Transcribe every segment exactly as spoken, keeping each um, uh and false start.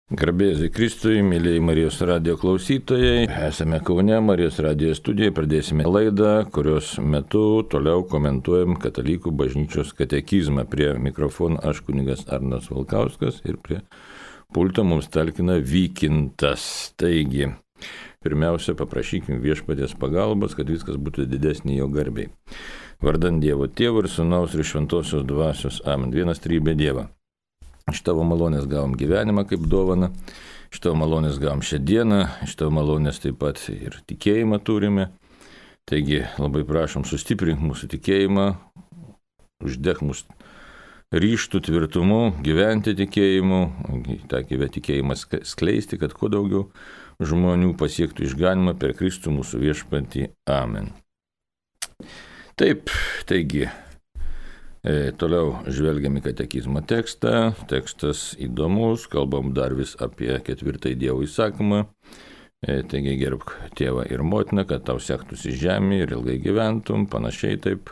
Garbėsiu Kristui, mėlyjei Marijos radijo klausytojai. Esame Kaune, Marijos radijo studijoje, pradėsime laidą, kurios metu toliau komentuojam Katalikų bažnyčios katekizmą. Prie mikrofono aš kunigas Arnas Valkauskas ir prie pulto mums talkina Vykintas. Taigi, pirmiausia, paprašykim viešpaties pagalbos, kad viskas būtų didesnį jo garbei. Vardant Dievo Tėvo ir Sūnaus ir Šventosios Dvasios. Amen. Vienas trybė Dievą. Iš tavo malonės gavom gyvenimą kaip dovaną, iš tavo malonės gavom šią dieną, iš tavo malonės taip pat ir tikėjimą turime. Taigi labai prašom sustiprink mūsų tikėjimą, uždek mūsų ryžtų tvirtumu, gyventi tikėjimu, tą tikėjimą skleisti, kad kuo daugiau žmonių pasiektų išganimą per Kristų mūsų viešpatį. Amen. Taip, taigi. E, toliau žvelgiam į katekizmo tekstą, tekstas įdomus, kalbam dar vis apie ketvirtąjį Dievo įsakymą, e, taigi gerbk tėvą ir motiną, kad tau sektųsi žemė ir ilgai gyventum, panašiai taip.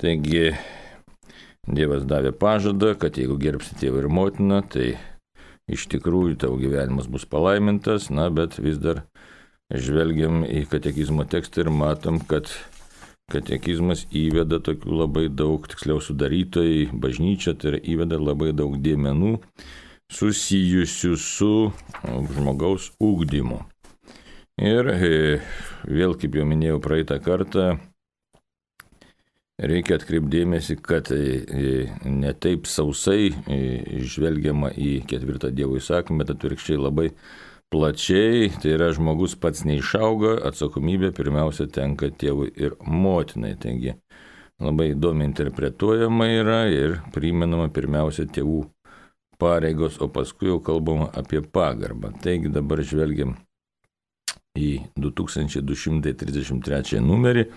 Taigi Dievas davė pažadą, kad jeigu gerbsi tėvą ir motiną, tai iš tikrųjų tavo gyvenimas bus palaimintas, na, bet vis dar žvelgiam į katekizmo tekstą ir matom, kad katekizmas įveda tokių labai daug, tiksliau sudarytojai, bažnyčia, tai yra įveda labai daug dėmenų susijusių su žmogaus ugdymu. Ir vėl, kaip jau minėjau praeitą kartą, reikia atkreipdėmėsi, kad ne taip sausai žvelgiama į ketvirtą Dievo įsakymą, bet atvirkščiai labai plačiai, tai yra žmogus pats neišauga, atsakomybė pirmiausia tenka tėvui ir motinai. Taigi labai įdomiai interpretuojama yra ir primenama pirmiausia tėvų pareigos, o paskui jau kalbama apie pagarbą. Taigi dabar žvelgiam į du tūkstančiai du šimtai trisdešimt trečią numerį,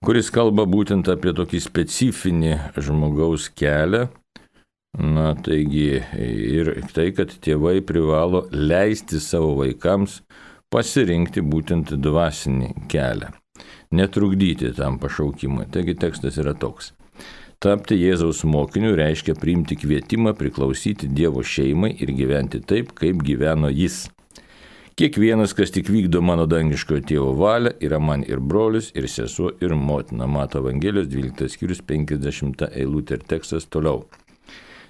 kuris kalba būtent apie tokį specifinį žmogaus kelią. Na, taigi ir tai, kad tėvai privalo leisti savo vaikams pasirinkti būtent dvasinį kelią, netrukdyti tam pašaukimui. Taigi tekstas yra toks. Tapti Jėzaus mokiniu reiškia priimti kvietimą priklausyti Dievo šeimai ir gyventi taip, kaip gyveno jis. Kiekvienas, kas tik vykdo mano dangiškojo tėvo valią, yra man ir brolis, ir sesuo, ir motina. Mato Evangelijos dvyliktas skyrius penkiasdešimta eilutė ir tekstas toliau.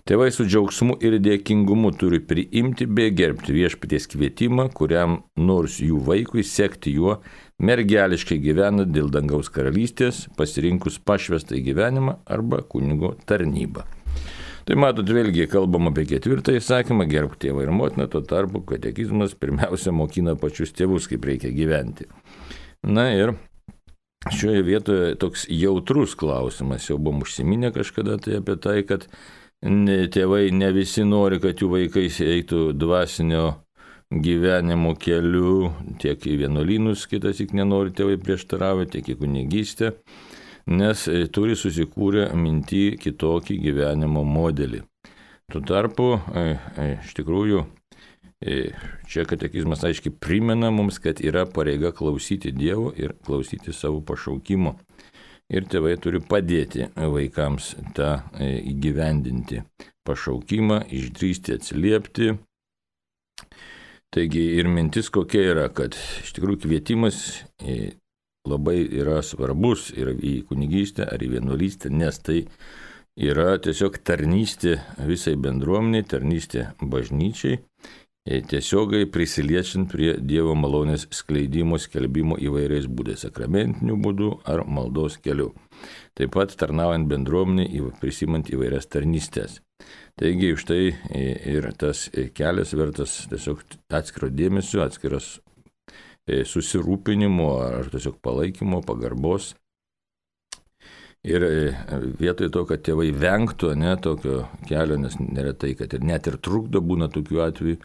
Tėvai su džiaugsmu ir dėkingumu turi priimti bei gerbti viešpaties kvietimą, kuriam nors jų vaikui sekti juo mergeliškai gyvena dėl dangaus karalystės, pasirinkus pašvestą gyvenimą arba kunigo tarnybą. Tai matot, vėlgi kalbam apie ketvirtą įsakymą, gerbk tėvą ir motiną, tuo tarpu katekizmas pirmiausia mokina pačius tėvus, kaip reikia gyventi. Na ir šioje vietoje toks jautrus klausimas, jau buvom užsiminę kažkada tai apie tai, kad tėvai ne visi nori, kad jų vaikai eitų dvasinio gyvenimo keliu, tiek į vienuolynus, kitas tik nenori tėvai prieštaravę, tiek į kunigystę, nes turi susikūrę mintį kitokį gyvenimo modelį. Tuo tarpu, iš tikrųjų, čia katekizmas aiškiai primena mums, kad yra pareiga klausyti Dievo ir klausyti savo pašaukimo. Ir tėvai turi padėti vaikams tą įgyvendinti pašaukimą, išdrįsti atsiliepti. Taigi ir mintis kokia yra, kad iš tikrųjų kvietimas labai yra svarbus ir į kunigystę ar į vienuolystę, nes tai yra tiesiog tarnystė visai bendruomeniai, tarnystė bažnyčiai, tiesiogai prisiliečiant prie Dievo malonės skleidimo, skelbimo įvairiais būdais, sakramentiniu būdu ar maldos keliu. Taip pat tarnaujant bendruomeniai, prisimant įvairias tarnystės. Taigi už tai ir tas kelias vertas tiesiog atskiro dėmesio, atskiros susirūpinimo ar tiesiog palaikymo, pagarbos. Ir vietoj to, kad tėvai vengtų ne, tokio kelio, nes neretai, kad ir net ir trukdo būna tokių atvejų,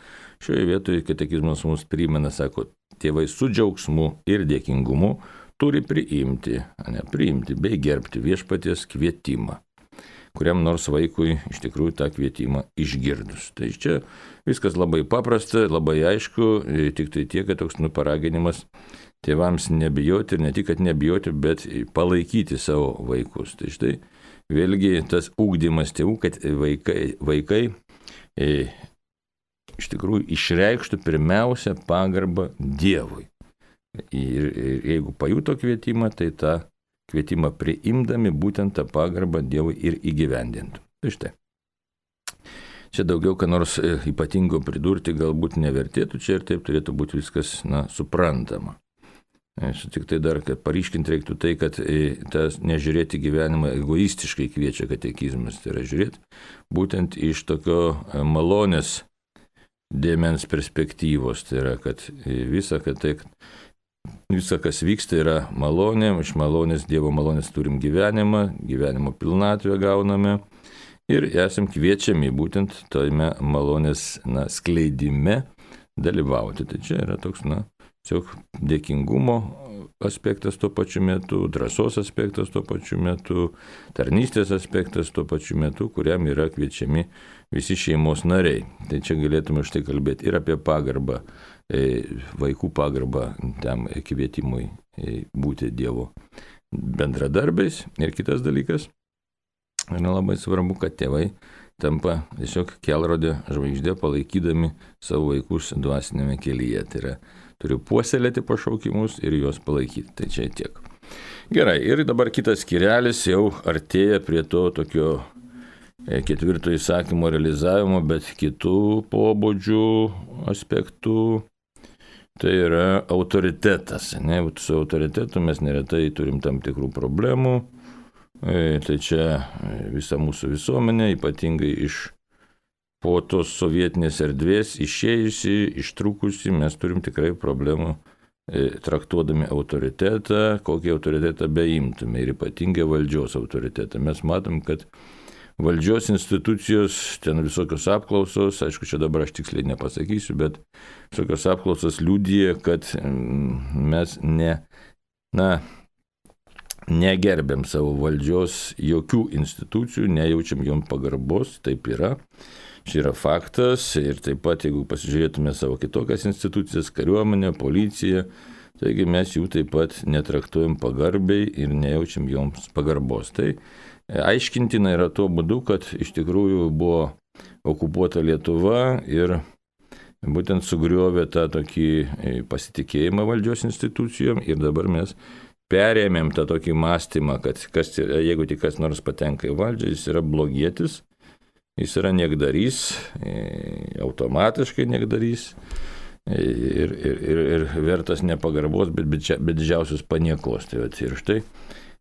šioje vietoje katekizmas mums primena, sako, tėvai su džiaugsmu ir dėkingumu turi priimti, ne, priimti bei gerbti viešpaties kvietimą, kuriam nors vaikui iš tikrųjų tą kvietimą išgirdus. Tai čia viskas labai paprasta, labai aišku, tik tai tiek, kad toks nuparaginimas tėvams nebijoti ir ne tik, kad nebijoti, bet palaikyti savo vaikus. Tai štai vėlgi tas ugdymas tėvų, kad vaikai, vaikai iš tikrųjų išreikštų pirmiausia pagarbą Dievui. Ir, ir jeigu pajuto kvietimą, tai tą kvietimą priimdami būtent tą pagarbą Dievui ir įgyvendintų. Tai štai. Čia daugiau ką nors ypatingo pridurti galbūt nevertėtų, čia ir taip turėtų būti viskas, na, suprantama. Aš tik tai dar, kad paryškinti reiktų tai, kad tas nežiūrėti gyvenimą egoistiškai kviečia katekizmas, tai yra žiūrėti būtent iš tokio malonės dėmens perspektyvos, tai yra, kad visa, kad tai, visa, kas vyksta, yra malonė, iš malonės, Dievo malonės turim gyvenimą, gyvenimo pilnatvę gauname ir esam kviečiami būtent tojame malonės, na, skleidime dalyvauti. Tai čia yra toks, na, tiesiog dėkingumo aspektas tuo pačiu metu, drąsos aspektas tuo pačiu metu, tarnystės aspektas tuo pačiu metu, kuriam yra kviečiami visi šeimos nariai. Tai čia galėtume štai kalbėti ir apie pagarbą, vaikų pagarbą tam kvietimui būti Dievo bendradarbiais. Ir kitas dalykas, yra labai svarbu, kad tėvai tampa tiesiog kelrodė žvaigždė, palaikydami savo vaikus dvasinėme kelyje. Tai yra, turiu puoselėti pašaukimus ir juos palaikyti. Tai čia tiek. Gerai, ir dabar kitas skyrelis jau artėja prie to tokio ketvirto įsakymo realizavimo, bet kitų pobūdžių aspektų. Tai yra autoritetas. Ne? Su autoritetu mes neretai turim tam tikrų problemų. Tai čia visa mūsų visuomenė, ypatingai iš po tos sovietinės erdvės išėjusi, ištrukusi, mes turim tikrai problemų traktuodami autoritetą, kokį autoritetą beimtume ir ypatingai valdžios autoritetą. Mes matom, kad valdžios institucijos, ten visokios apklausos, aišku, čia dabar aš tiksliai nepasakysiu, bet visokios apklausos liudija, kad mes ne, na, negerbėm savo valdžios jokių institucijų, nejaučiam jom pagarbos, taip yra. Čia yra faktas ir taip pat, jeigu pasižiūrėtume savo kitokias institucijas, kariuomenę, policiją, taigi mes jų taip pat netraktuojam pagarbiai ir nejaučiam joms pagarbos. Tai aiškintina yra tuo būdu, kad iš tikrųjų buvo okupuota Lietuva ir būtent sugriovė tą tokį pasitikėjimą valdžios institucijom ir dabar mes perėmėm tą tokį mąstymą, kad kas, jeigu tik kas nors patenka į valdžią, jis yra blogietis, jis yra niekdarys, automatiškai niekdarys ir, ir, ir, ir vertas nepagarbos, bet, bet, bet didžiausios paniekos. Tai vat, ir štai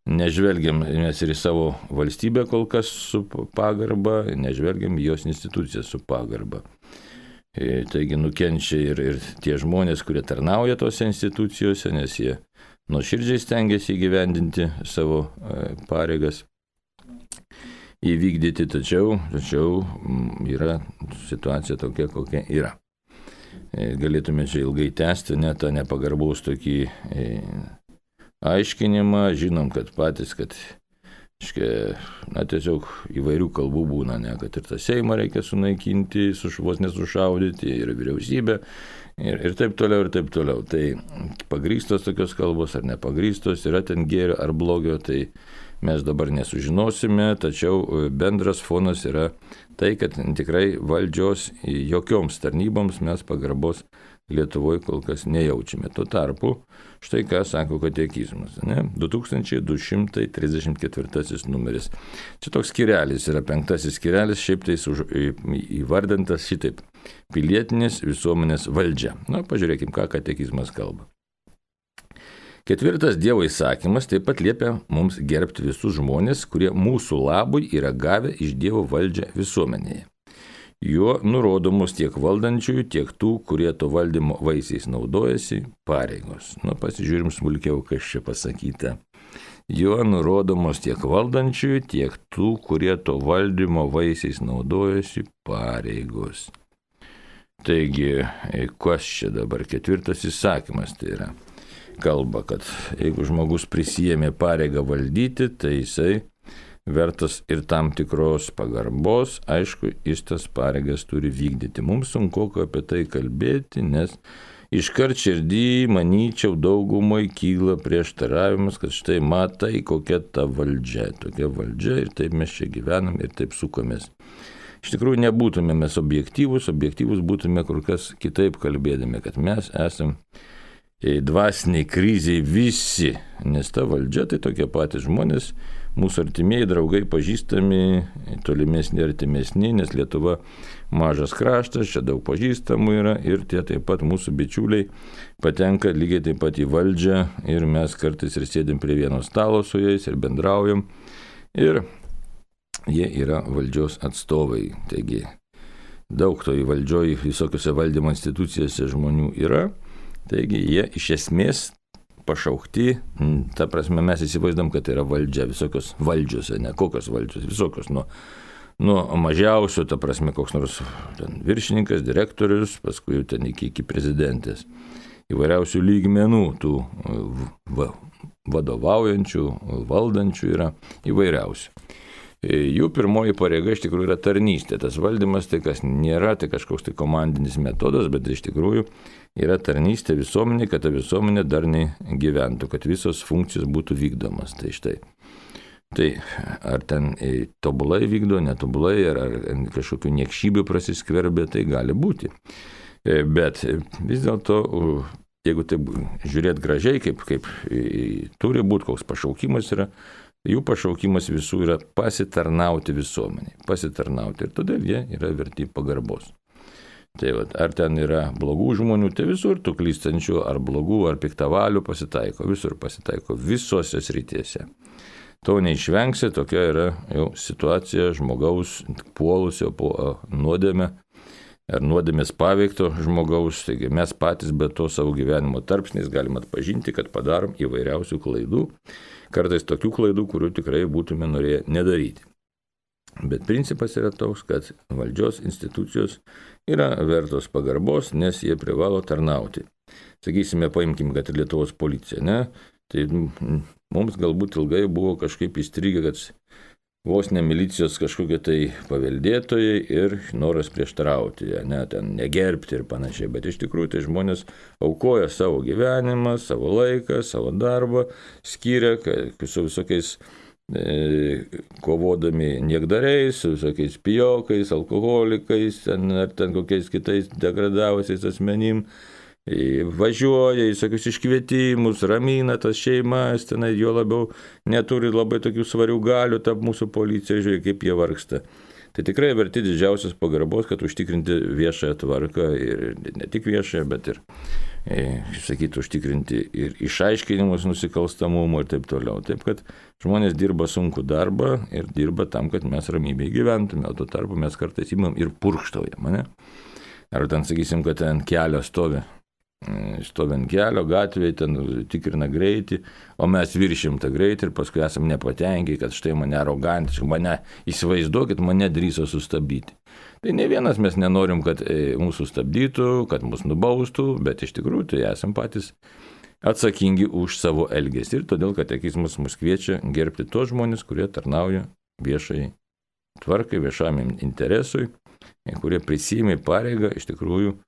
nežvelgiam mes ir į savo valstybę kol kas su pagarba, nežvelgiam į jos instituciją su pagarba. Taigi nukenčia ir, ir tie žmonės, kurie tarnauja tose institucijose, nes jie nuoširdžiai stengiasi įgyvendinti savo pareigas, įvykdyti, tačiau, tačiau yra situacija tokia, kokia yra. Galėtume čia ilgai tęsti, net tą nepagarbaus tokį aiškinimą, žinom, kad patys, kad na, tiesiog įvairių kalbų būna, ne, kad ir tą Seimą reikia sunaikinti, vos nesušaudyti, ir vyriausybę, ir, ir taip toliau, ir taip toliau. Tai pagrįstos tokios kalbos ar nepagrįstos, yra ten gėrio ar blogio, tai mes dabar nesužinosime, tačiau bendras fonas yra tai, kad tikrai valdžios jokioms tarnyboms mes pagarbos Lietuvoje kol kas nejaučiame. Tuo tarpu, štai ką sako katekizmas, ne? du tūkstančiai du šimtai trisdešimt ketvirtasis numeris. Čia toks skyrelis yra, penktasis skyrelis, šiaip tai įvardintas šitaip: pilietinės visuomenės valdžia. Na, pažiūrėkim, ką katekizmas kalba. Ketvirtas Dievo įsakymas taip pat liepia mums gerbti visus žmonės, kurie mūsų labui yra gavę iš Dievo valdžią visuomenėje. Juo nurodomos tiek valdančiųjų, tiek tų, kurie to valdymo vaisiais naudojasi, pareigos. Nu, pasižiūrim smulkiau, kas čia pasakyta. Juo nurodomos tiek valdančiųjų, tiek tų, kurie to valdymo vaisiais naudojasi, pareigos. Taigi, kas čia dabar ketvirtas įsakymas tai yra? Kalba, kad jeigu žmogus prisijėmė pareigą valdyti, tai jisai vertas ir tam tikros pagarbos, aišku, jis tas pareigas turi vykdyti. Mums sunku apie tai kalbėti, nes iškart širdį, manyčiau, daugumai kyla prieštaravimas, kad štai matai, kokia ta valdžia, tokia valdžia ir taip mes čia gyvenam ir taip sukomės. iš tikrųjų nebūtume mes objektyvus, objektyvus būtume kur kas kitaip kalbėdami, kad mes esam dvasiniai kriziai visi, nes ta valdžia tai tokie patys žmonės, mūsų artimieji, draugai, pažįstami, tolimesni, artimesni, nes Lietuva mažas kraštas, čia daug pažįstamų yra ir tie taip pat mūsų bičiuliai patenka lygiai taip pat į valdžią ir mes kartais ir sėdim prie vieno stalo su jais ir bendraujam ir jie yra valdžios atstovai. Taigi daug to į valdžioj visokiose valdymo institucijose žmonių yra, taigi jie iš esmės pašaukti, ta prasme mes įsivaizduom, kad tai yra valdžia, visokios valdžios, ne kokios valdžios, visokios, nuo, nuo mažiausio, ta prasme koks nors ten, viršininkas, direktorius, paskui ten iki, iki prezidentės, įvairiausių lygmenų tų va, vadovaujančių, valdančių yra įvairiausių. Jų pirmoji pareiga iš tikrųjų yra tarnystė. Tas valdymas tai kas nėra, tai kažkoks tai komandinis metodas, bet iš tikrųjų yra tarnystė visuomenė, kad ta visuomenė darniai gyventų, kad visos funkcijos būtų vykdomas. Tai štai. Tai ar ten tobulai vykdo, netobulai, ar, ar kažkokių niekšybių prasiskverbė, tai gali būti. Bet vis dėlto, jeigu tai žiūrėt gražiai, kaip, kaip turi būti, koks pašaukimas yra, jų pašaukimas visų yra pasitarnauti visuomeniai, pasitarnauti ir todėl jie yra verti pagarbos. Tai vat, ar ten yra blogų žmonių, tai visur tų klystančių, ar blogų, ar piktavalių pasitaiko, visur pasitaiko, visose srityse. To neišvengsi, tokia yra jau situacija žmogaus puolusio po nuodėmę, ar nuodėmės paveikto žmogaus, taigi mes patys be to savo gyvenimo tarpsniais galim atpažinti, kad padarom įvairiausių klaidų, kartais tokių klaidų, kurių tikrai būtume norėję nedaryti. Bet principas yra toks, kad valdžios institucijos yra vertos pagarbos, nes jie privalo tarnauti. Sakysime, paimkim, kad ir Lietuvos policija, ne? Tai mums galbūt ilgai buvo kažkaip įstrigę, kad vos ne milicijos kažkokie tai paveldėtojai ir noras prieštarauti, ne, ten negerbti ir panašiai, bet iš tikrųjų tai žmonės aukoja savo gyvenimą, savo laiką, savo darbą, skiria su visokiais e, kovodami niekdariais, su visokiais pijokais, alkoholikais, ten, ar ten kokiais kitais degradavusiais asmenim, važiuoja į tokius iškvietimus, ramina tas šeimas, tenai jo labiau neturi labai tokių svarių galių, ta mūsų policija, žiūrėk, kaip jie vargsta. Tai tikrai verti didžiausios pagarbos, kad užtikrinti viešąją tvarką ir ne tik viešąją, bet ir, e, sakyti, užtikrinti ir išaiškinimus nusikalstamumo ir taip toliau. Taip, kad žmonės dirba sunkų darbą ir dirba tam, kad mes ramybėj gyventume, o tuo tarpu mes kartais imam ir purkštaujam, ne? Ar ten, sakysim, kad ten kelio stovi. Stovi ant kelio, gatvėje, ten tikrina greitį, o mes viršim tą greitį ir paskui esam nepatenkinti, kad štai mane arogantiškai, mane įsivaizduokit, mane drįso sustabdyti. Tai ne vienas mes nenorim, kad mūsų stabdytų, kad mus nubaustų, bet iš tikrųjų tai esam patys atsakingi už savo elgesį. Ir todėl katekizmas mus kviečia gerbti tos žmonės, kurie tarnauja viešai tvarkai, viešam interesui, kurie prisiėmė pareigą iš tikrųjų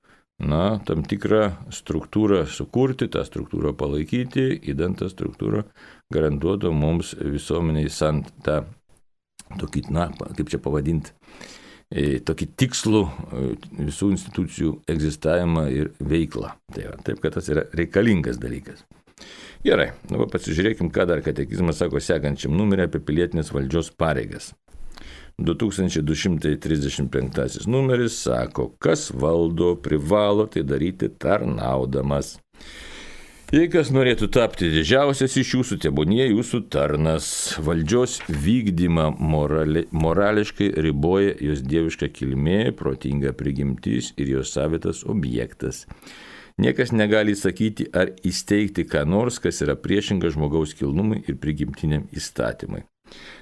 na, tam tikrą struktūrą sukurti, tą struktūrą palaikyti, įdant tą struktūrą garantuotų mums visuomeniai sant tą tokį, na, kaip čia pavadinti, tokį tikslų visų institucijų egzistavimą ir veiklą. Tai va, taip, kad tas yra reikalingas dalykas. Gerai, nu, pasižiūrėkim, ką dar katekizmas sako sekančiam numerį apie pilietinės valdžios pareigas. du tūkstančiai du šimtai trisdešimt penktasis numeris sako, kas valdo, privalo tai daryti tarnaudamas. Jei kas norėtų tapti didžiausias iš jūsų, tebūnie jūsų tarnas. Valdžios vykdymą morali, morališkai riboja jos dieviška kilmė, protinga prigimtis ir jos savitas objektas. Niekas negali sakyti ar įsteigti ką nors, kas yra priešinga žmogaus kilnumui ir prigimtiniam įstatymui.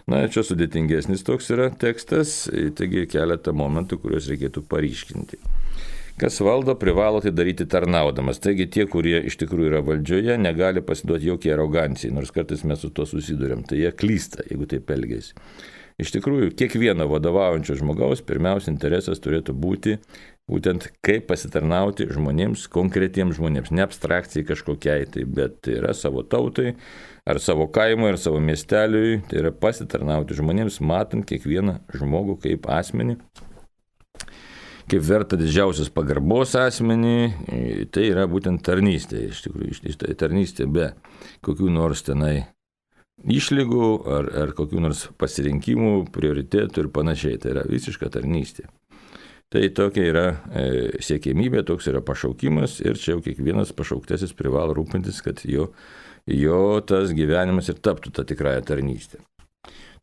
Na, čia sudėtingesnis toks yra tekstas, taigi keletą momentų, kuriuos reikėtų paryškinti. Kas valdo, privalo tai daryti tarnaudamas. Taigi tie, kurie iš tikrųjų yra valdžioje, negali pasiduoti jokiai arogancijai, nors kartais mes su to susidurėm. Tai jie klysta, jeigu taip elgiasi. Iš tikrųjų, kiekvieno vadovaujančio žmogaus pirmiausia interesas turėtų būti būtent kaip pasitarnauti žmonėms, konkretiems žmonėms, ne abstrakcijai kažkokiai, tai, bet tai yra savo tautai, ar savo kaimui, ar savo miesteliui, tai yra pasitarnauti žmonėms, matant kiekvieną žmogų kaip asmenį, kaip verta didžiausios pagarbos asmenį, tai yra būtent tarnystė. Iš tikrųjų, tarnystė be kokių nors tenai išlygų ar, ar kokių nors pasirinkimų, prioritėtų ir panašiai. Tai yra visiška tarnystė. Tai tokia yra e, siekėmybė, toks yra pašaukimas ir čia jau kiekvienas pašauktasis privalo rūpintis, kad jo, jo tas gyvenimas ir taptų tą tikrąją tarnystę.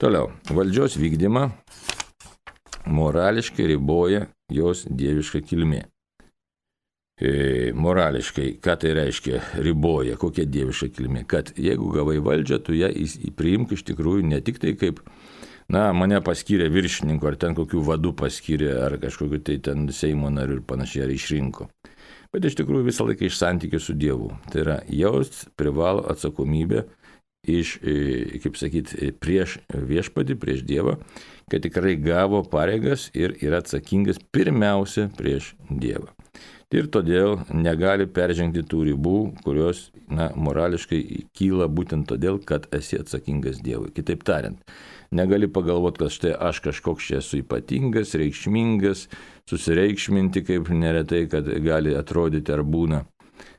Toliau, valdžios vykdymą morališkai riboja jos dieviška kilmė. E, morališkai, ką tai reiškia riboja, kokia dieviška kilmė, kad jeigu gavai valdžią, tu ją priimk iš tikrųjų ne tik tai kaip, na, mane paskyrė viršininku, ar ten kokių vadų paskyrė, ar kažkokiu tai ten Seimo nariu ir panašiai, ar išrinko. Bet iš tikrųjų visą laiką iš santykių su Dievu. Tai yra, jos privalo atsakomybę iš, kaip sakyti, prieš viešpatį, prieš Dievą, kad tikrai gavo pareigas ir yra atsakingas pirmiausia prieš Dievą. Ir todėl negali peržengti tų ribų, kurios, na, morališkai kyla būtent todėl, kad esi atsakingas Dievui. Kitaip tariant, negali pagalvoti, kad štai aš kažkoks čia esu ypatingas, reikšmingas, susireikšminti, kaip neretai, kad gali atrodyti ar būna.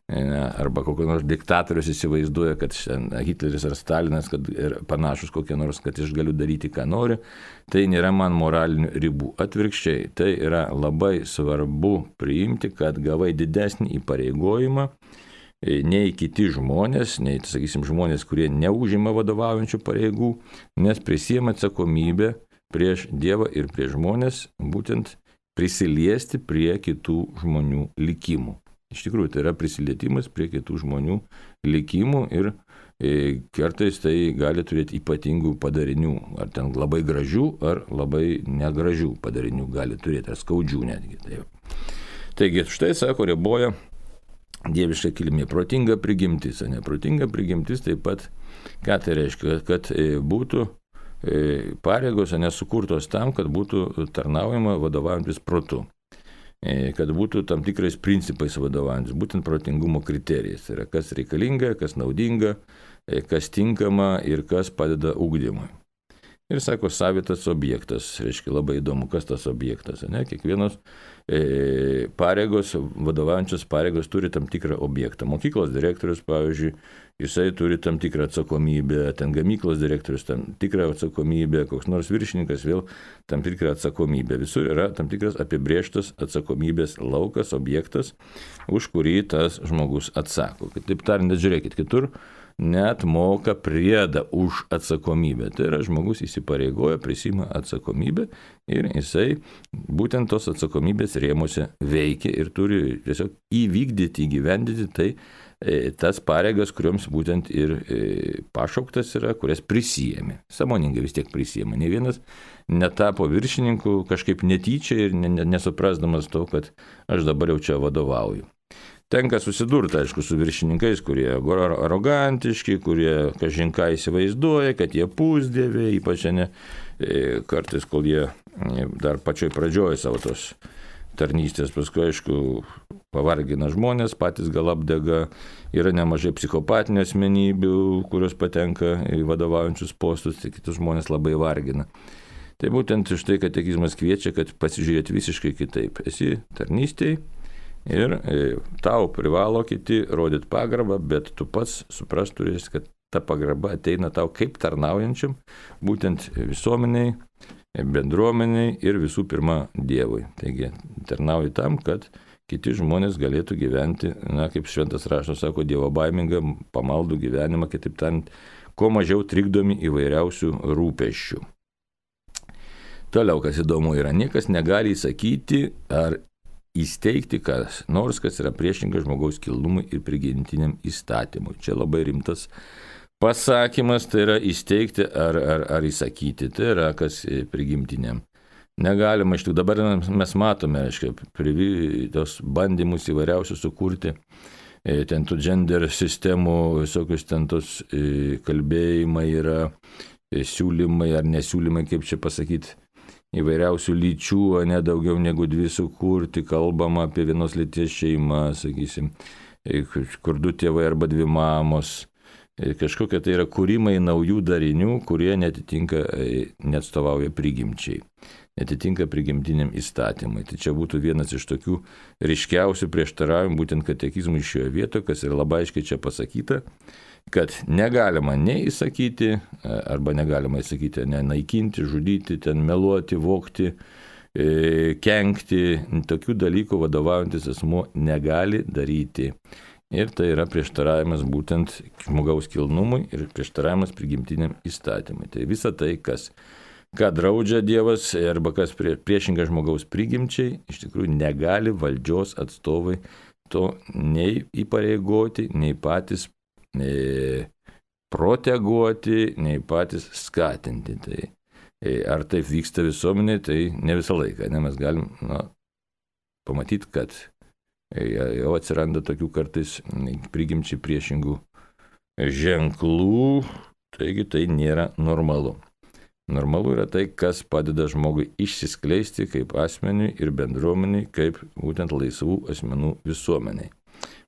Arba kokio nors diktatorius įsivaizduoja, kad Hitleris ar Stalinas, kad ir panašus kokie nors, kad aš galiu daryti, ką noriu, tai nėra man moralinių ribų. Atvirkščiai, tai yra labai svarbu priimti, kad gavai didesnį įpareigojimą nei kiti žmonės, nei, sakysim, žmonės, kurie neužima vadovaujančių pareigų, nes prisiema atsakomybę prieš Dievą ir prieš žmonės, būtent prisiliesti prie kitų žmonių likimų. Iš tikrųjų, tai yra prisilietimas prie kitų žmonių likimų ir e, kartais tai gali turėti ypatingų padarinių, ar ten labai gražių, ar labai negražių padarinių gali turėti, ar skaudžių netgi. Tai Taigi, štai sako, riboja dieviška kilmė, protinga prigimtis, o neprotinga prigimtis taip pat, ką tai reiškia, kad e, būtų e, pareigos nesukurtos tam, kad būtų tarnaujama vadovaujantis protu. Kad būtų tam tikrais principais vadovaujantis, būtent protingumo kriterijais. Tai yra, kas reikalinga, kas naudinga, kas tinkama ir kas padeda ugdymui. Ir sako, savitas objektas, reiškia labai įdomu, kas tas objektas. Ne? Kiekvienos e, pareigos, vadovaujančios pareigos turi tam tikrą objektą. Mokyklos direktorius, pavyzdžiui, jisai turi tam tikrą atsakomybę, ten gamyklos direktorius tam tikrą atsakomybę, koks nors viršininkas vėl tam tikrą atsakomybę. Visur yra tam tikras apibrėžtas atsakomybės laukas, objektas, už kurį tas žmogus atsako. Taip tariant, žiūrėkit, kitur net moka priedą už atsakomybę. Tai yra, žmogus įsipareigoja, prisima atsakomybę ir jisai būtent tos atsakomybės rėmuose veikia ir turi tiesiog įvykdyti, įgyvendyti tai e, tas pareigas, kurioms būtent ir e, pašauktas yra, kurias prisijėmė. Sąmoningai vis tiek prisijėmė. Ne vienas netapo viršininku kažkaip netyčia ir nesuprasdamas to, kad aš dabar jau čia vadovauju. Tenka susidurti, aišku, su viršininkais, kurie arogantiški, kurie kažinką įsivaizduoja, kad jie pusdieviai, ypač ne kartais, kol jie dar pačioj pradžioje savo tos tarnystės, paskui, aišku, pavargina žmonės, patys gal apdega, yra nemažai psichopatinių asmenybių, kurios patenka į vadovaujančius postus, tai kitus žmonės labai vargina. Tai būtent iš tai, kad katekizmas kviečia, kad pasižiūrėti visiškai kitaip. Esi tarnystėj, ir tau privalo kiti rodyti pagarbą, bet tu pats suprast turėsi, kad ta pagarba ateina tau kaip tarnaujančiam, būtent visuomeniai, bendruomeniai ir visų pirma Dievui. Taigi tarnauji tam, kad kiti žmonės galėtų gyventi, na, kaip šventas raštas sako, Dievo baimingą, pamaldų gyvenimą, kitaip tariant, kuo mažiau trikdomi įvairiausių rūpesčių. Toliau, kas įdomu yra, niekas negali įsakyti ar įsteigti kas nors, kas yra priešingas žmogaus kilnumui ir prigimtiniam įstatymui. Čia labai rimtas pasakymas, tai yra įsteigti ar, ar, ar įsakyti, tai yra kas prigimtiniam. Negalima, iš tikrųjų, dabar mes matome, reiškia, tos bandymus įvairiausių sukurti, ten tų gender sistemų, visokius ten tos kalbėjimai yra, siūlymai ar nesiūlymai, kaip čia pasakyti, įvairiausių lyčių, o ne daugiau negu dvi sukurti, kalbama apie vienos lyties šeimą, sakysim, kur du tėvai arba dvi mamos, kažkokie tai yra kūrimai naujų darinių, kurie netitinka, neatstovauja prigimčiai, netitinka prigimtiniam įstatymui. Tai čia būtų vienas iš tokių ryškiausių prieštaravimų būtent katekizmui šioje vietoje, kas yra labai aiškiai čia pasakyta, kad negalima nei įsakyti, arba negalima įsakyti, ne naikinti, žudyti, ten meluoti, vogti, kenkti, tokių dalykų vadovaujantis asmuo negali daryti. Ir tai yra prieštaravimas būtent žmogaus kilnumui ir prieštaravimas prigimtiniam įstatymui. Tai visa tai, kas, ką draudžia Dievas arba kas prie, priešinga žmogaus prigimčiai, iš tikrųjų negali valdžios atstovai to nei įpareigoti, nei patys nei proteguoti, nei patys skatinti. Tai ar taip vyksta visuomenė, tai ne visą laiką. Ne, mes galim na, pamatyti, kad jau atsiranda tokių kartais prigimčiai priešingų ženklų, taigi tai nėra normalu. Normalu yra tai, kas padeda žmogui išsiskleisti kaip asmeniui ir bendruomeniai, kaip būtent laisvų asmenų visuomeniai,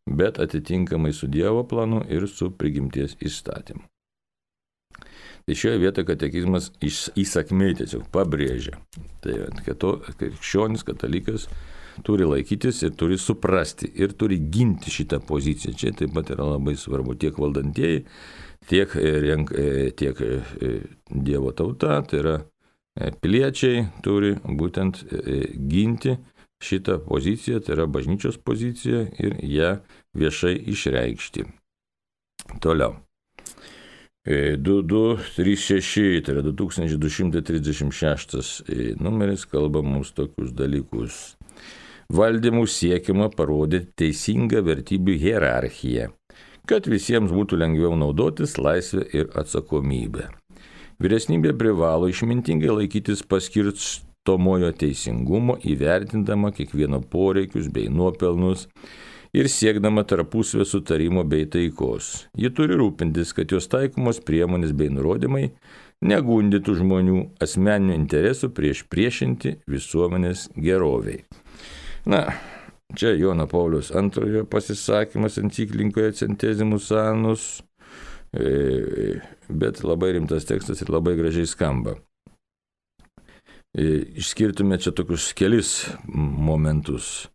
bet atitinkamai su Dievo planu ir su prigimties įstatymu. Tai šioje vietoje katekizmas įsakmiai tiesiog pabrėžia, tai, kad to krikščionis, katalikas turi laikytis ir turi suprasti ir turi ginti šitą poziciją. Čia taip pat yra labai svarbu tiek valdantieji, tiek, tiek Dievo tauta, tai yra piliečiai turi būtent ginti šitą poziciją, tai yra bažnyčios pozicija ir ją viešai išreikšti. Toliau. du du trys šeši, tai yra du tūkstančiai du šimtai trisdešimt šeštas numeris, kalba mums tokius dalykus. Valdymų siekiama parodyti teisingą vertybių hierarchiją, kad visiems būtų lengviau naudotis laisvę ir atsakomybę. Vyresnybė privalo išmintingai laikytis paskirstomojo teisingumo, įvertindama kiekvieno poreikius bei nuopelnus ir siekdama tarpusavio sutarimo bei taikos. Ji turi rūpintis, kad jos taikomos priemonės bei nurodymai negundytų žmonių asmeninių interesų prieš priešinti visuomenės geroviai. Na, čia Jono Pauliaus antrojo pasisakymas enciklinkoje Centesimus Annus, bet labai rimtas tekstas ir labai gražiai skamba. Išskirtume čia tokius kelis momentus.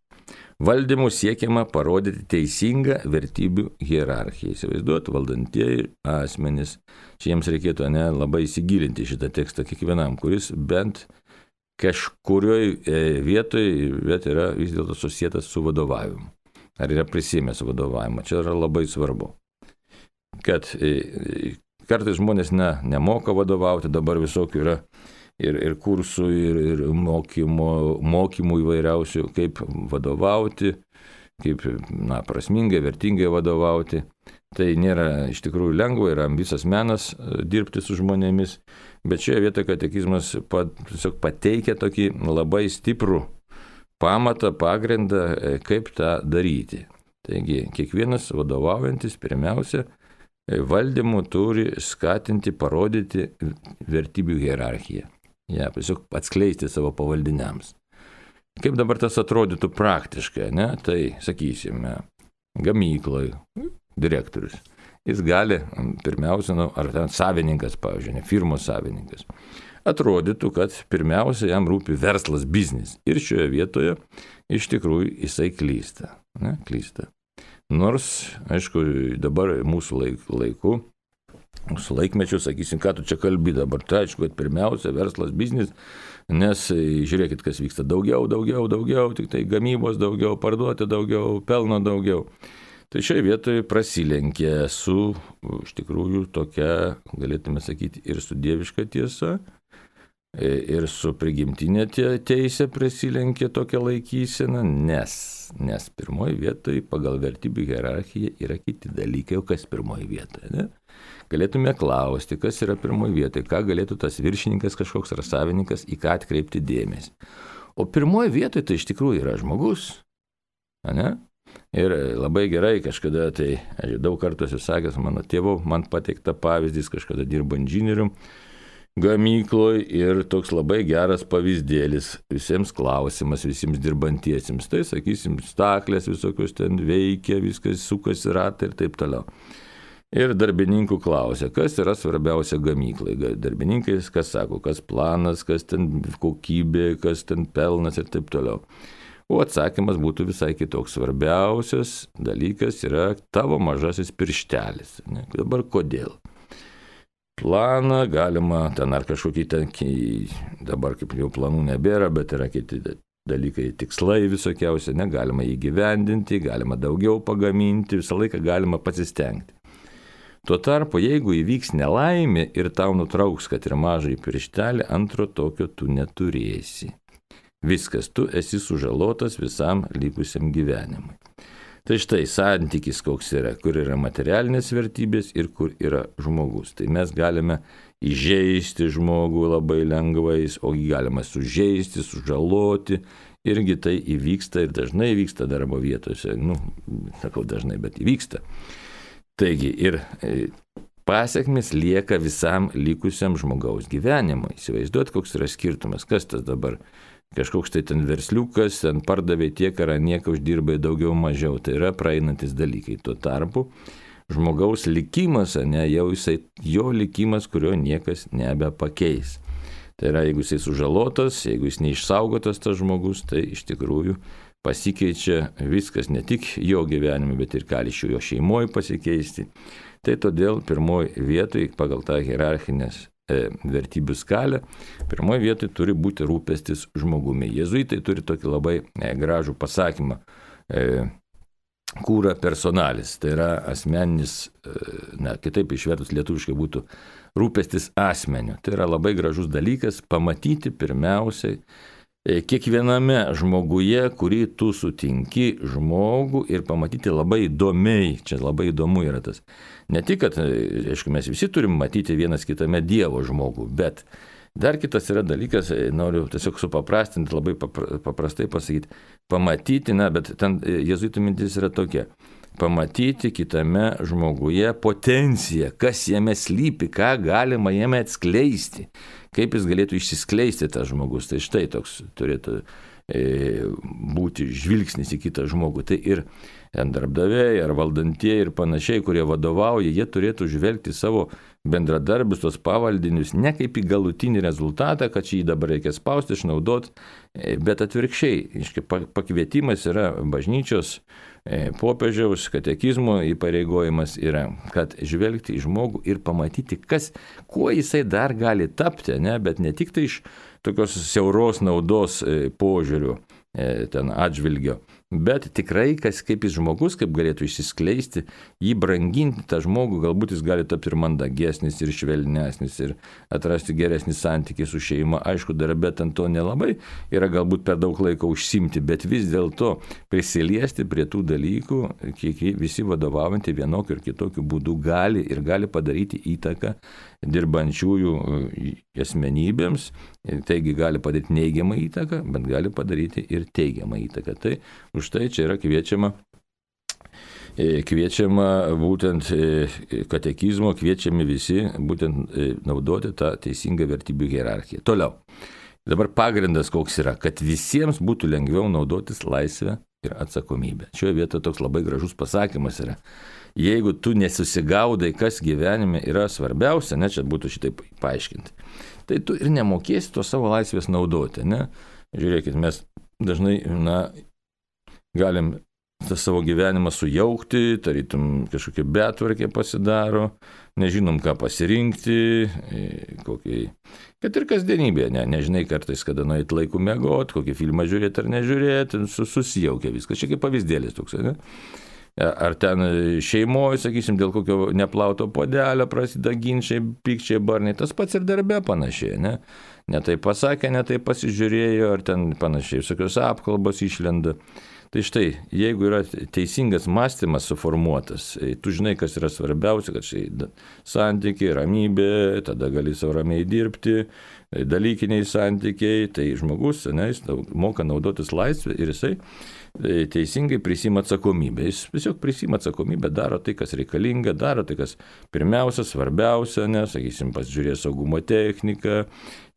Valdymų siekiama parodyti teisingą vertybių hierarchiją. Įsivaizduot, valdantieji asmenys. Čia jiems reikėtų ne, labai įsigilinti šitą tekstą kiekvienam, kuris bent kažkurioj vietoje bet yra vis dėlto susietas su vadovavimu. Ar yra prisimęs vadovavimą. Čia yra labai svarbu. Kad kartais žmonės ne, nemoka vadovauti, dabar visokių yra ir, ir kursų, ir, ir mokymo, mokymų įvairiausių, kaip vadovauti, kaip na, prasmingai, vertingai vadovauti. Tai nėra iš tikrųjų lengva, yra visas menas dirbti su žmonėmis, bet šioje vietoje katekizmas pat, tiesiog pateikia tokį labai stiprų pamatą, pagrindą, kaip tą daryti. Taigi, kiekvienas vadovaujantis pirmiausia valdymu turi skatinti, parodyti vertybių hierarchiją. Ja, tiesiog atskleisti savo pavaldiniams. Kaip dabar tas atrodytų praktiškai, ne? Tai, sakysime, gamykloj direktorius. Jis gali, pirmiausia, nu, ar ten savininkas, pavyzdžiui, ne, firmos savininkas, atrodytų, kad pirmiausia jam rūpi verslas, biznis. Ir šioje vietoje iš tikrųjų jisai klysta. Ne, klysta. Nors, aišku, dabar mūsų laiku, mūsų laikmečių, sakysim, ką tu čia kalbi dabar, tai aišku, kad pirmiausia verslas, biznis, nes žiūrėkit, kas vyksta daugiau, daugiau, daugiau, tik tai gamybos daugiau, parduoti daugiau, pelno daugiau. Tai šioje vietoje prasilenkia su, iš tikrųjų, tokia, galėtume sakyti, ir su dieviška tiesa, ir su prigimtinė teisė prasilenkia tokia laikysena, nes, nes pirmoji vietoje pagal vertybių hierarchiją yra kiti dalykai, o kas pirmoji vietoje, ne? Galėtume klausti, kas yra pirmoji vietoje, ką galėtų tas viršininkas kažkoks ar savininkas, į ką atkreipti dėmesį. O pirmoji vietoje tai iš tikrųjų yra žmogus, ne? Ir labai gerai kažkada, tai aš daug kartų esu sakęs, mano tėvų, man pateikta pavyzdys, kažkada dirbo inžinierium gamykloje ir toks labai geras pavyzdėlis visiems klausimas, visiems dirbantiesiems. Tai, sakysim, staklės visokios ten veikia, viskas sukasi ratai ir taip toliau. Ir darbininkų klausia, kas yra svarbiausia gamyklai. Darbininkai kas sako, kas planas, kas ten kokybė, kas ten pelnas ir taip toliau. O atsakymas būtų visai kitoks. Svarbiausias dalykas yra tavo mažasis pirštelis. Ne? Dabar kodėl? Planą galima, ten ar kažkokį ten, dabar kaip jau planų nebėra, bet yra kiti dalykai, tikslai visokiausi, negalima įgyvendinti, galima daugiau pagaminti, visą laiką galima pasistengti. Tuo tarpu, jeigu įvyks nelaimė ir tau nutrauks, kad ir mažai pirštelį, antro tokio tu neturėsi. Viskas, tu esi sužalotas visam likusiam gyvenimui. Tai štai santykis koks yra, kur yra materialinės vertybės ir kur yra žmogus. Tai mes galime įžeisti žmogų labai lengvais, o galima sužeisti, sužaloti. Irgi tai įvyksta ir dažnai įvyksta darbo vietose. Nu, sakau dažnai, bet įvyksta. Taigi ir pasiekmes lieka visam likusiam žmogaus gyvenimui. Įsivaizduot, koks yra skirtumas, kas tas dabar kažkoks tai ten versliukas, ten pardavė tiek ar nieką uždirbai daugiau mažiau. Tai yra praeinantis dalykai. Tuo tarpu žmogaus likimas, ne, jau jisai, jo likimas, kurio niekas nebepakeis. Tai yra, jeigu jisai sužalotas, jeigu jis neišsaugotas tas žmogus, tai iš tikrųjų pasikeičia viskas ne tik jo gyvenime, bet ir gali iš jo šeimoje pasikeisti. Tai todėl pirmoji vietoj pagal tą hierarchinės e, vertybių skalę, pirmoji vietoj turi būti rūpestis žmogumi. Jėzuitai turi tokį labai e, gražų pasakymą, e, cura personalis, tai yra asmeninis, e, na, kitaip išvertus lietuviškai būtų rūpestis asmeniu. Tai yra labai gražus dalykas pamatyti pirmiausiai kiekviename žmoguje, kurį tu sutinki žmogų ir pamatyti labai įdomiai, čia labai įdomu yra tas. Ne tik, kad, aišku, mes visi turim matyti vienas kitame Dievo žmogų, bet dar kitas yra dalykas, noriu tiesiog supaprastinti, labai paprastai pasakyti, pamatyti, na, bet ten jėzuitų mintis yra tokia, pamatyti kitame žmoguje potenciją, kas jame slypi, ką galima jame atskleisti. Kaip jis galėtų išsiskleisti tas žmogus. Tai štai toks turėtų e, būti žvilgsnis į kitą žmogų. Tai ir darbdaviai, ar valdantieji ir panašiai, kurie vadovauja, jie turėtų žvelgti savo bendradarbius, tos pavaldinius, ne kaip į galutinį rezultatą, kad šį dabar reikia spausti, išnaudoti, bet atvirkščiai. Pakvietimas yra bažnyčios, popiežiaus, katekizmo įpareigojimas yra, kad žvelgti į žmogų ir pamatyti, kas, kuo jisai dar gali tapti, ne? Bet ne tik tai iš tokios siauros naudos požiūrių ten atžvilgio, bet tikrai, kas kaip jis žmogus, kaip galėtų išsiskleisti, jį branginti tą žmogų, galbūt jis gali tapti ir mandagesnis, ir švelnesnis, ir atrasti geresnį santykį su šeima. Aišku, darbe ten to nelabai yra galbūt per daug laiko užsimti, bet vis dėlto prisiliesti prie tų dalykų, kiek visi vadovaujantį vienokiu ir kitokiu būdu gali ir gali padaryti įtaką dirbančiųjų asmenybėms, taigi gali padaryti neigiamą įtaką, bet gali padaryti ir teigiamą įtaką. Tai už tai čia yra kviečiama, kviečiama būtent katekizmo, kviečiami visi būtent naudoti tą teisingą vertybių hierarchiją. Toliau. Dabar pagrindas koks yra, kad visiems būtų lengviau naudotis laisvę ir atsakomybę. Šioje vietoje toks labai gražus pasakymas yra. Jeigu tu nesusigaudai, kas gyvenime yra svarbiausia, ne, čia būtų šitaip paaiškinti, tai tu ir nemokėsi to savo laisvės naudoti, ne? Žiūrėkit, mes dažnai, na, galim tą savo gyvenimą sujaukti, tarytum kažkokia betvarkė pasidaro, nežinom, ką pasirinkti, kokį, kad ir kasdienybė, ne, nežinai kartais, kada nueit laiku miegot, kokį filmą žiūrėti ar nežiūrėti, susijaukia viskas, čia kaip pavyzdėlis toks, ne? Ar ten šeimoje, sakysim, dėl kokio neplauto puodelio prasideda ginčiai, pykčiai, barniai, tas pats ir darbe panašiai, ne? Ne taip pasakė, ne taip pasižiūrėjo, ar ten panašiai, visokios apkalbos išlenda. Tai štai, jeigu yra teisingas mąstymas suformuotas, tu žinai, kas yra svarbiausia, kad štai santykiai, ramybė, tada gali savo ramiai dirbti, dalykiniai santykiai, tai žmogus, ne, jis moka naudotis laisvę ir jisai teisingai prisima atsakomybę. Jis tiesiog prisima atsakomybę, daro tai, kas reikalinga, daro tai, kas pirmiausia, svarbiausia, ne, sakysim, pasižiūrės saugumo techniką,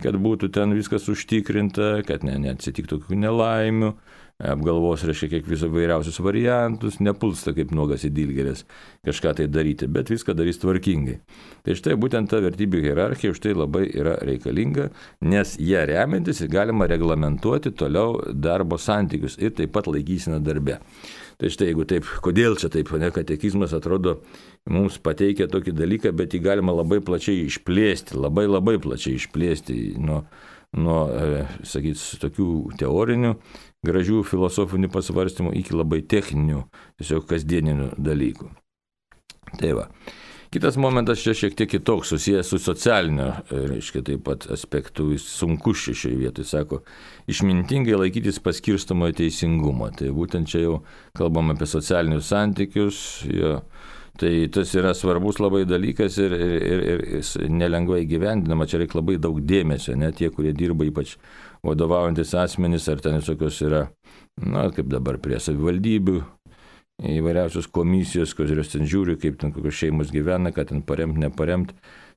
kad būtų ten viskas užtikrinta, kad ne, neatsitiktų tokių nelaimių, apgalvos, reiškia, kiek viso vairiausius variantus, nepulsta kaip nuogas į dilgėlės kažką tai daryti, bet viską darys tvarkingai. Tai štai būtent ta vertybių hierarchija už tai labai yra reikalinga, nes ją remiantis galima reglamentuoti toliau darbo santykius ir taip pat laikyseną darbe. Tai štai jeigu taip, kodėl čia taip, ne, katekizmas atrodo mums pateikia tokį dalyką, bet jį galima labai plačiai išplėsti, labai labai plačiai išplėsti nuo, nuo sakyt, tokių teorinių, gražių filosofinių pasvarstymų iki labai techninių, tiesiog kasdieninių dalykų. Tai va. Kitas momentas čia šiek tiek kitoks, susijęs su socialinio, reiškia, taip pat aspektu, jis sunkus čia šioje vietoje, sako, išmintingai laikytis paskirstomo teisingumo. Tai būtent čia jau kalbam apie socialinius santykius, jo. Tai tas yra svarbus labai dalykas ir, ir, ir, ir nelengvai gyvendinama, čia reikia labai daug dėmesio, ne tie, kurie dirba ypač vadovaujantis asmenys, ar ten visokios yra, na, kaip dabar prie savivaldybių, įvairiausios komisijos, kurios ten žiūri, kaip ten kokios šeimos gyvena, kad ten paremt, neparemt.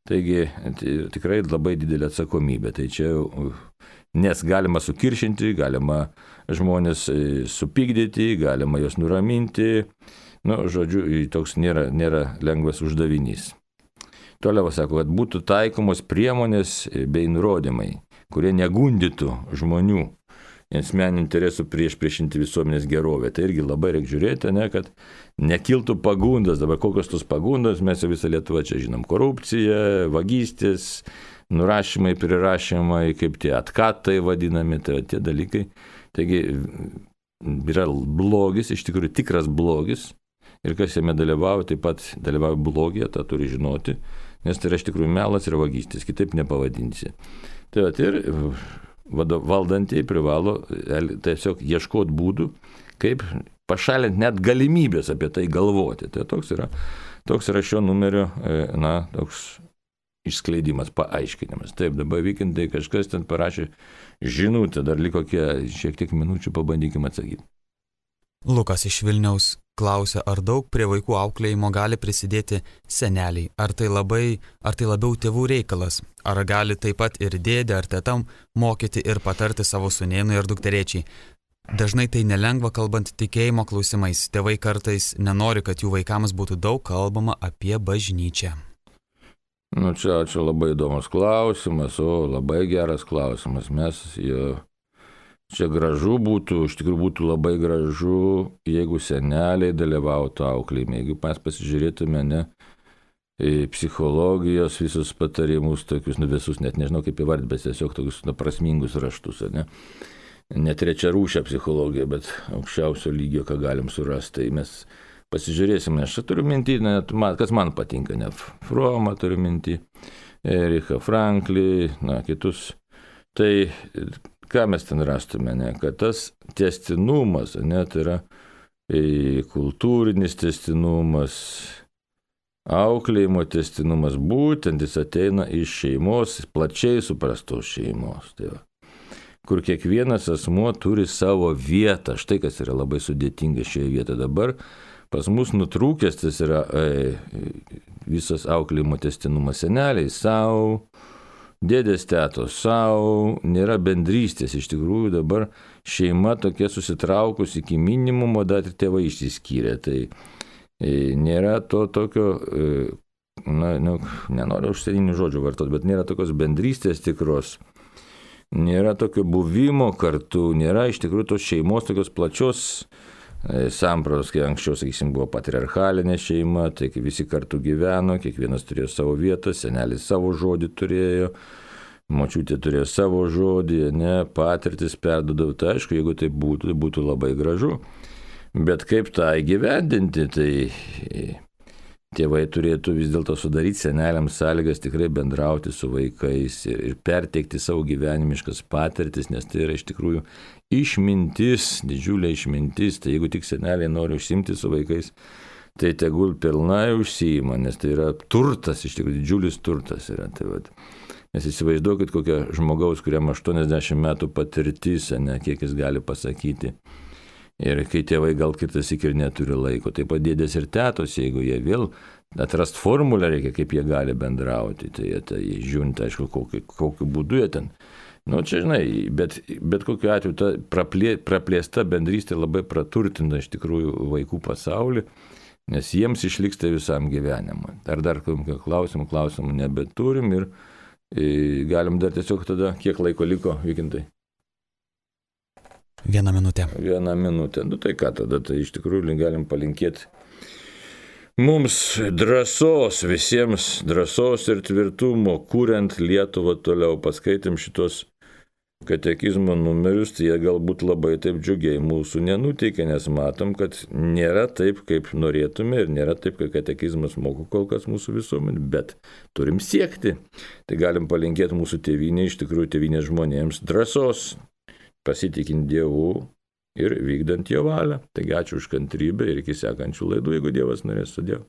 Taigi tai tikrai labai didelė atsakomybė. Tai čia, nes galima sukiršinti, galima žmonės supykdyti, galima juos nuraminti. Nu, žodžiu, toks nėra, nėra lengvas uždavinys. Toliau sako, kad būtų taikomos priemonės bei nurodymai, kurie negundytų žmonių asmeninių interesų prieš priešinti visuomenės gerovę. Tai irgi labai reikia žiūrėti, ne, kad nekiltų pagundas. Dabar kokios tos pagundos, mes jau visą Lietuvą čia žinom. Korupcija, vagystės, nurašymai, prirašymai, kaip tie atkatai vadinami, tai tie dalykai. Taigi yra blogis, iš tikrųjų tikras blogis. Ir kas jame dalyvauja, taip pat dalyvauja blogija, tą turi žinoti, nes tai yra iš tikrųjų melas ir vagystės, kitaip nepavadinsi. Tai va, ir valdantieji privalo tiesiog ieškoti būdų, kaip pašalinti net galimybės apie tai galvoti. Tai toks yra, toks yra šio numerio, na, toks išskleidimas, paaiškinimas. Taip, dabar vykintai kažkas ten parašė žinutę, dar liko šiek tiek minučių, pabandykim atsakyti. Lukas iš Vilniaus klausia, ar daug prie vaikų auklėjimo gali prisidėti seneliai? Ar tai, labai, ar tai labiau tėvų reikalas? Ar gali taip pat ir dėdė ar tetam mokyti ir patarti savo sūnėnui ar dukterėčiai? Dažnai tai nelengva kalbant tikėjimo klausimais. Tėvai kartais nenori, kad jų vaikams būtų daug kalbama apie bažnyčią. Nu, čia, čia labai įdomus klausimas, o labai geras klausimas. Mes jo... Čia gražu būtų, iš tikrųjų būtų labai gražu, jeigu seneliai dalyvautų auklėjime, jeigu mes pasižiūrėtume, ne, psichologijos visus patarimus, tokius, nu visus, net nežinau kaip įvardyti, bet tiesiog tokius nu, prasmingus raštus, ne, ne trečia rūšia psichologija, bet aukščiausio lygio, ką galim surasti, tai mes pasižiūrėsime, aš turiu mintį, ne, kas man patinka, ne, Fromą turiu mintį, Erichą Franklį, na, kitus, tai ką mes ten rastume, ne? Kad tas tęstinumas, ne, tai yra e, kultūrinis tęstinumas, auklėjimo tęstinumas, būtent jis ateina iš šeimos, plačiai suprastos šeimos. Tai va. Kur kiekvienas asmuo turi savo vietą, štai kas yra labai sudėtinga šioje vietoje dabar. Pas mus nutrūkęs tas yra e, visas auklėjimo tęstinumas, seneliai savo, dėdės tetos savo, nėra bendrystės. Iš tikrųjų dabar šeima tokia susitraukus iki minimumo, dar ir tėvai išsiskyrė. Tai e, nėra to tokio, e, na, nu, nenoriu užsieninių žodžių vartoti, bet nėra tokios bendrystės tikros. Nėra tokio buvimo kartu, nėra iš tikrųjų tos šeimos tokios plačios e, sampratos, kai anksčiau, sakysim, buvo patriarchalinė šeima, tai visi kartu gyveno, kiekvienas turėjo savo vietą, senelis savo žodį turėjo, močiutė turėjo savo žodį, ne, patirtis perdodavo. Tai aišku, jeigu tai būtų, tai būtų labai gražu. Bet kaip tą įgyvendinti, tai tėvai turėtų vis dėlto sudaryti seneliams sąlygas tikrai bendrauti su vaikais ir, ir perteikti savo gyvenimiškas patirtis, nes tai yra iš tikrųjų išmintis, didžiulė išmintis. Tai jeigu tik seneliai nori užsiimti su vaikais, tai tegul pilnai užsiima, nes tai yra turtas, iš tikrųjų didžiulis turtas yra. Tai vat. Nes įsivaizduokit kokią žmogaus, kuriam aštuoniasdešimt metų patirtis, ne, kiek jis gali pasakyti. Ir kai tėvai gal kitas ir neturi laiko, taip pat dėdės ir tetos, jeigu jie vėl atrast formulę reikia, kaip jie gali bendrauti, tai jie tai žiūrint, aišku, kokiu, kokiu būdu jie ten Nu, čia žinai, bet, bet kokiu atveju ta praplė, praplėsta bendrystė labai praturtina iš tikrųjų vaikų pasaulį, nes jiems išliks tai visam gyvenimui. Ar dar klausimų, klausimų nebeturim ir e, galim dar tiesiog tada, kiek laiko liko, Vykintai? Vieną minutę. Vieną minutę. Nu tai ką tada, tai iš tikrųjų galim palinkėti mums drąsos, visiems drąsos ir tvirtumo, kuriant Lietuvą toliau. Paskaitėm šitos katekizmo numerius, tai jie galbūt labai taip džiugiai mūsų nenuteikia, nes matom, kad nėra taip, kaip norėtume ir nėra taip, kaip katekizmas moko kol kas mūsų visuomenė, bet turim siekti. Tai galim palinkėti mūsų tėvynė, iš tikrųjų tėvynės žmonėms drąsos, pasitikint Dievu ir vykdant jo valią. Taigi ačiū už kantrybę ir iki sekančių laidų, jeigu Dievas norės. Sudie.